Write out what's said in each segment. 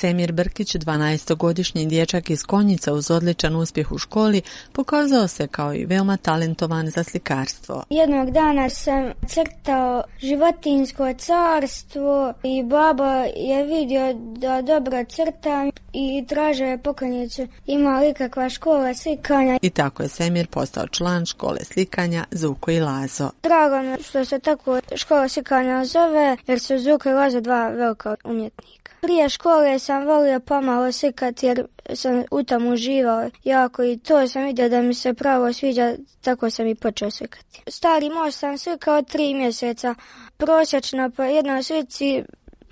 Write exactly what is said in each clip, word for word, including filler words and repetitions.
Semir Brkić, dvanaestogodišnji dječak iz Konjica uz odličan uspjeh u školi, pokazao se kao i veoma talentovan za slikarstvo. Jednog dana sam crtao životinjsko carstvo i baba je vidio da dobro crtam i tražio je poklonicu ima li kakva škola slikanja. I tako je Semir postao član škole slikanja Zuko i Lazo. Drago mi što se tako škola slikanja zove jer su Zuko i Lazo dva velika umjetnika. Prije škole sam volio pomalo slikati jer sam u tom uživao jako i to sam vidio da mi se pravo sviđa, tako sam i počeo slikati. Stari most sam slikao tri mjeseca, prosječno po jednoj slici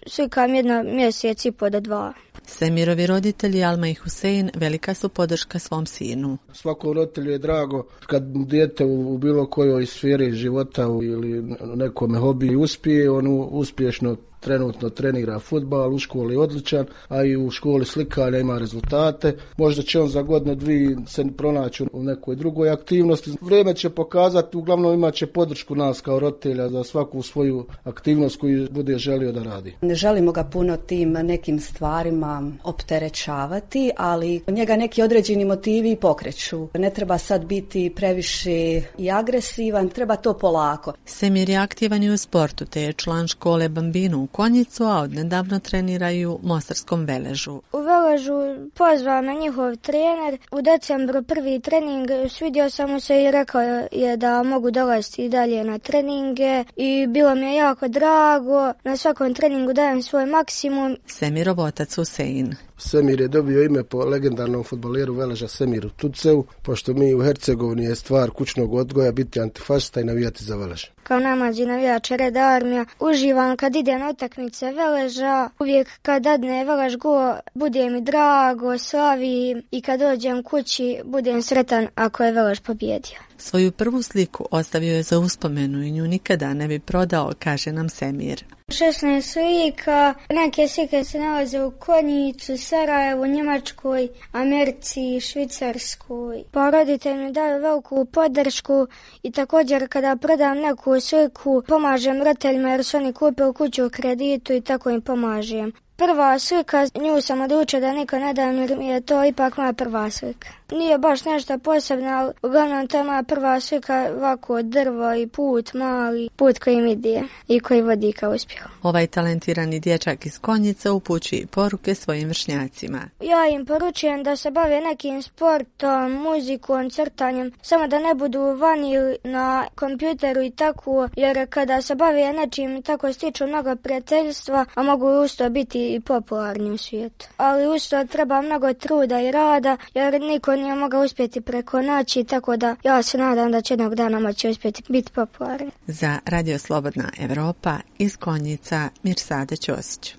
slikam jedno mjesec i po do dva. Semirovi roditelji Alma i Husein velika su podrška svom sinu. Svakom roditelju je drago kad dijete u bilo kojoj sferi života ili nekome hobiji uspije, on uspješno trenutno trenira fudbal, u školi je odličan, a i u školi slikanja ima rezultate. Možda će on za godinu dvije se pronaći u nekoj drugoj aktivnosti. Vrijeme će pokazati, uglavnom imat će podršku nas kao roditelja za svaku svoju aktivnost koju bude želio da radi. Ne želimo ga puno tim nekim stvarima opterećavati, ali njega neki određeni motivi pokreću. Ne treba sad biti previše i agresivan, treba to polako. Semir je aktivan i u sportu, te je član škole Bambinu u Konjicu, a odnedavno treniraju u Mostarskom Veležu. U Veležu pozvao me njihov trener. U decembru prvi trening, svidio sam mu se i rekao je da mogu dolaziti i dalje na treninge i bilo mi je jako drago. Na svakom treningu dajem svoj maksimum. Semirov otac Husein. Semir je dobio ime po legendarnom fudbaleru Veleža Semiru Tuceu, pošto mi u Hercegovini je stvar kućnog odgoja biti antifašista i navijati za Velež. Kao namađi navijač Reda Armija, uživam kad ide na utakmice Veleža, uvijek kad dadne Velež go, bude mi drago, slavim i kad dođem kući, budem sretan ako je Velež pobjedio. Svoju prvu sliku ostavio je za uspomenu i nju nikada ne bi prodao, kaže nam Semir. šesnaest slika, neke slike se nalaze u Konjicu, Sarajevu, Njemačkoj, Americi, Švicarskoj. Pa roditelji mi daju veliku podršku i također kada prodam neku sliku pomažem roditeljima jer su oni kupili kuću u kreditu i tako im pomažem. Prva slika, nju sam odlučio da niko ne dam jer mi je to ipak moja prva slika. Nije baš nešto posebno, ali uglavnom to je moja prva slika, ovako drvo i put, mali put koji mi ide i koji vodi ka uspjehu. Ovaj talentirani dječak iz Konjica upućuje poruke svojim vršnjacima. Ja im poručujem da se bave nekim sportom, muzikom, crtanjem, samo da ne budu vani na kompjuteru i tako, jer kada se bave nečim tako stiču mnogo prijateljstva, a mogu usto biti i popularni u svijetu. Ali usto treba mnogo truda i rada, jer niko nije mogao uspjeti preko noći, tako da ja se nadam da će jednog dana moći uspjeti biti popularni. Za Radio Slobodna Evropa iz Konjica, Mirsada Ćosić.